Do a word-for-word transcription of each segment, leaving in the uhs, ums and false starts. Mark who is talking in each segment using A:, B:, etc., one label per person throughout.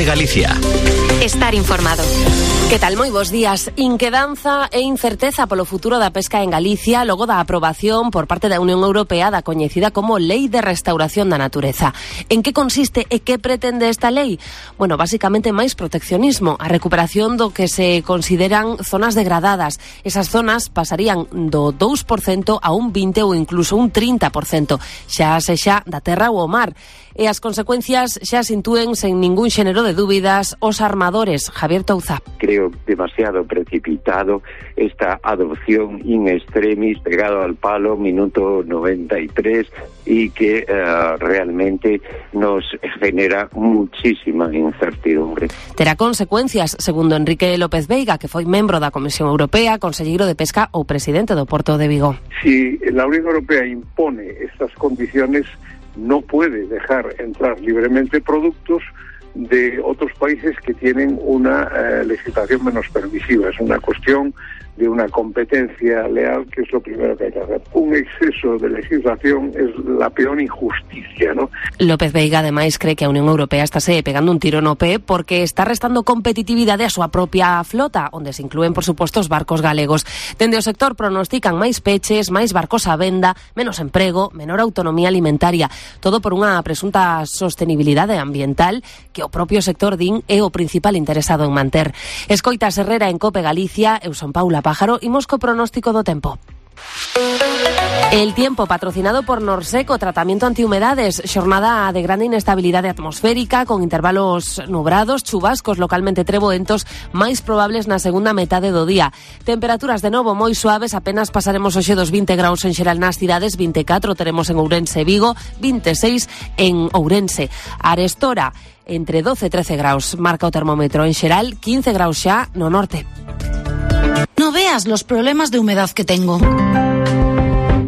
A: COPE Galicia.
B: Estar informado.
C: Que tal? Moi bons días. Inquedanza e incerteza polo futuro da pesca en Galicia logo da aprobación por parte da Unión Europea da coñecida como Lei de Restauración da Natureza. En que consiste e que pretende esta lei? Bueno, basicamente máis proteccionismo, a recuperación do que se consideran zonas degradadas. Esas zonas pasarían do dous por cento a un vinte por cento ou incluso un trinta por cento, xa sexa da terra ou o mar. E as consecuencias xa se intúen sen ningún xénero de dúbidas os armadores. Javier Touza.
D: Creo demasiado precipitado esta adopción in extremis, pegado al palo, minuto noventa y tres, y que uh, realmente nos genera muchísima incertidumbre.
C: Terá consecuencias, segundo Enrique López Veiga, que foi membro da Comisión Europea, conselleiro de Pesca ou presidente do Porto de Vigo.
E: Si la Unión Europea impone estas condiciones, no puede dejar entrar libremente productos de otros países que tienen una eh, legislación menos permisiva. Es una cuestión de una competencia leal, que es lo primero que hay que hacer. Un exceso de legislación es la peor injusticia, ¿no?
C: López Veiga, ademais, cree que a Unión Europea estáse pegando un tiro no pé porque está restando competitividade a súa propia flota, onde se inclúen, por suposto, os barcos galegos. Dende o sector pronostican máis peches, máis barcos á venda, menos emprego, menor autonomía alimentaria, todo por unha presunta sostenibilidade ambiental que o propio sector din é o principal interesado en manter. Escoitas Herrera en COPE Galicia, eu son Paula Pájaro, imos co pronóstico do tempo. El tiempo patrocinado por Norseco, tratamiento antihumedades, xornada de grande inestabilidade atmosférica con intervalos nubrados, chubascos localmente treboentos máis probables na segunda metade do día. Temperaturas de novo moi suaves, apenas pasaremos hoxe dos vinte graus en xeral nas cidades, vinte e catro teremos en Ourense e Vigo, vinte e seis en Ourense. Arestora entre doce e trece graus, marca o termómetro en xeral, quince graus xa no norte.
F: No veas los problemas de humedad que tengo.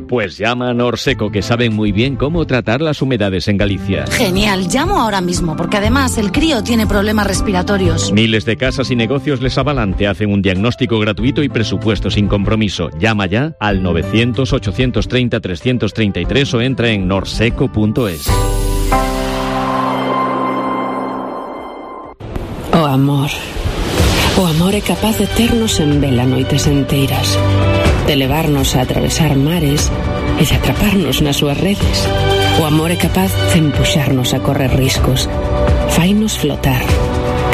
G: Pues llama a Norseco, que saben muy bien cómo tratar las humedades en Galicia.
F: Genial, llamo ahora mismo, porque además el crío tiene problemas respiratorios.
G: Miles de casas y negocios les avalan, te hacen un diagnóstico gratuito y presupuesto sin compromiso. Llama ya al novecientos, ochocientos treinta, trescientos treinta y tres o entra en norseco punto es.
H: O amor. O amor é capaz de ternos en vela noites enteiras, de levarnos a atravesar mares e de atraparnos nas súas redes. O amor é capaz de empuxarnos a correr riscos, fainos flotar,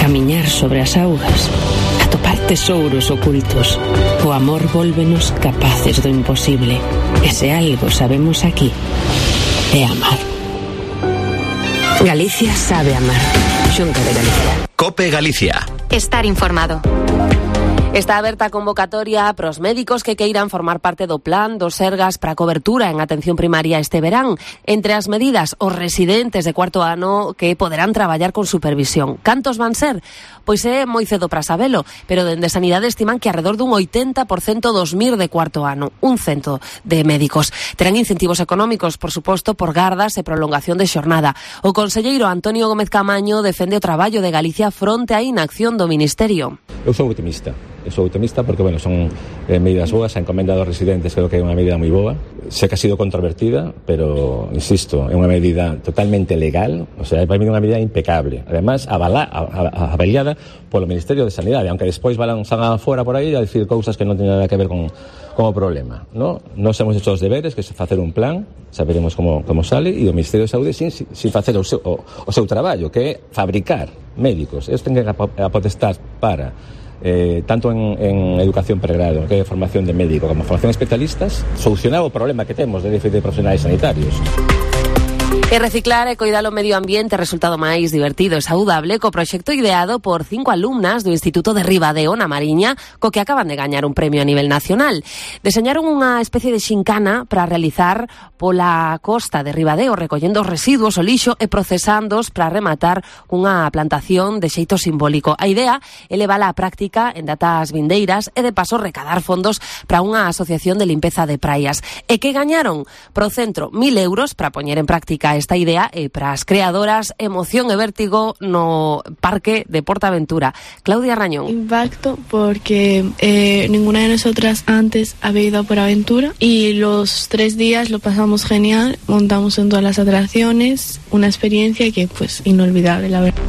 H: camiñar sobre as augas, atopar tesouros ocultos. O amor vólvenos capaces do imposible. E se algo sabemos aquí, é amar. Galicia sabe amar. Xunta de Galicia.
A: COPE Galicia.
B: Estar informado.
C: Está aberta a convocatoria para os médicos que queiran formar parte do plan dos Sergas para a cobertura en atención primaria este verán. Entre as medidas, os residentes de cuarto ano que poderán traballar con supervisión. Cantos van ser? Pois é moi cedo para sabelo, pero dende Sanidade estiman que alrededor dun oitenta por cento dos M I R de cuarto ano, un cento de médicos. Terán incentivos económicos, por suposto, por gardas e prolongación de xornada. O conselleiro Antonio Gómez Camaño defende o traballo de Galicia fronte á inacción do Ministerio.
I: Eu sou optimista. Eu sou optimista porque, bueno, son eh, medidas boas, a encomenda dos residentes creo que é unha medida moi boa. Sé que ha sido controvertida, pero, insisto, é unha medida totalmente legal, o sea, é para mí unha medida impecable. Además, avala, avaliada polo Ministerio de Sanidade, aunque despois van fora por aí a decir cousas que non teñen nada que ver con, con o problema, ¿no? Nos hemos hecho os deberes, que é facer un plan, saberemos como, como sale, e o Ministerio de Saúde sin, sin facer o seu, o, o seu traballo, que é fabricar médicos. Eles ten que a potestar para Eh, tanto en, en educación pregrado, que é formación de médico, como formación de especialistas, solucionar o problema que temos de déficit de profesionais sanitarios.
C: E reciclar e coidar o medio ambiente resultado máis divertido e saudable co proxecto ideado por cinco alumnas do Instituto de Ribadeo na Mariña, co que acaban de gañar un premio a nivel nacional. Deseñaron unha especie de xincana para realizar pola costa de Ribadeo, recollendo os residuos, o lixo e procesándoos para rematar unha plantación de xeito simbólico. A idea é levala á práctica en datas vindeiras e de paso recadar fondos para unha asociación de limpeza de praias. E que gañaron? Pro centro, mil euros para poñer en práctica esta idea e para as creadoras emoción e vértigo no Parque de Portaventura. Claudia Rañón.
J: Impacto porque eh, ninguna de nosotras antes había ido a Portaventura y los tres días lo pasamos genial, montamos en todas las atracciones, una experiencia que pues inolvidable, la verdad.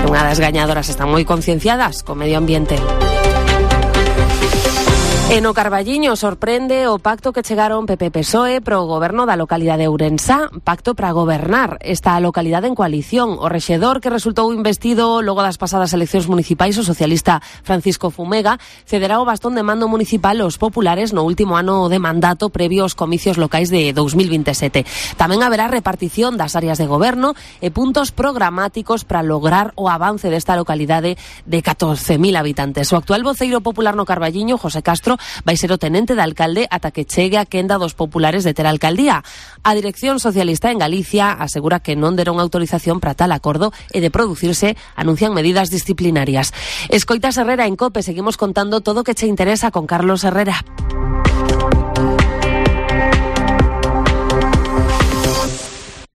C: Unha das gañadoras están moi concienciadas co medio ambiente. E no Carballiño sorprende o pacto que chegaron P P P S O E pro goberno da localidade de Ourensá, pacto para gobernar esta localidade en coalición. O rexedor que resultou investido logo das pasadas eleccións municipais, o socialista Francisco Fumega, cederá o bastón de mando municipal aos populares no último ano de mandato previo aos comicios locais de dous mil veintisiete. Tamén haberá repartición das áreas de goberno e puntos programáticos para lograr o avance desta localidade de catorce mil habitantes. O actual voceiro popular no Carballiño, José Castro, vai ser o tenente de alcalde ata que chegue a quenda dos populares de ter alcaldía. A dirección socialista en Galicia asegura que non deron autorización para tal acordo e de producirse anuncian medidas disciplinarias. Escoitas Herrera en COPE, seguimos contando todo o que che interesa con Carlos Herrera.